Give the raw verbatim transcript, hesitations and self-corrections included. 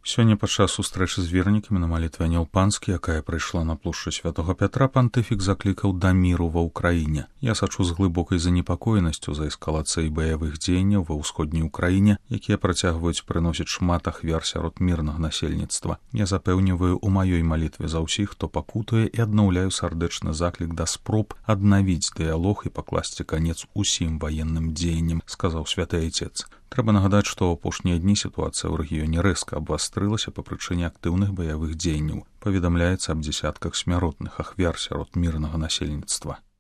Сёння падчас сустрэчы з вернікамі на малітве Анёл Панскі, якая прыйшла на плошчу Святога Пятра, пантыфік заклікаў да міру ва ўкраіне. Я сачу з глыбокай занепакоенасцю за эскалацыяй баявых дзеянняў ва ўсходняй Украіне, якія працягваюць прыносіць шмат ахвяр сярод мірнага насельніцтва. Я запэўніваю у маёй малітве за ўсіх, хто пакутуе, і аднаўляю сардэчны заклік да спроб аднавіць дыялог і пакласці канец усім ваенным дзеянням, сказаў святы айцец. Трэба нагадаць, што ў апошнія дні сітуацыя ў рэгіёне рэзка абвастрылася па прычыне актыўных баявых дзеянняў. Паведамляецца аб дзесятках смяротных ахвяр сярод мірнага насельніцтва.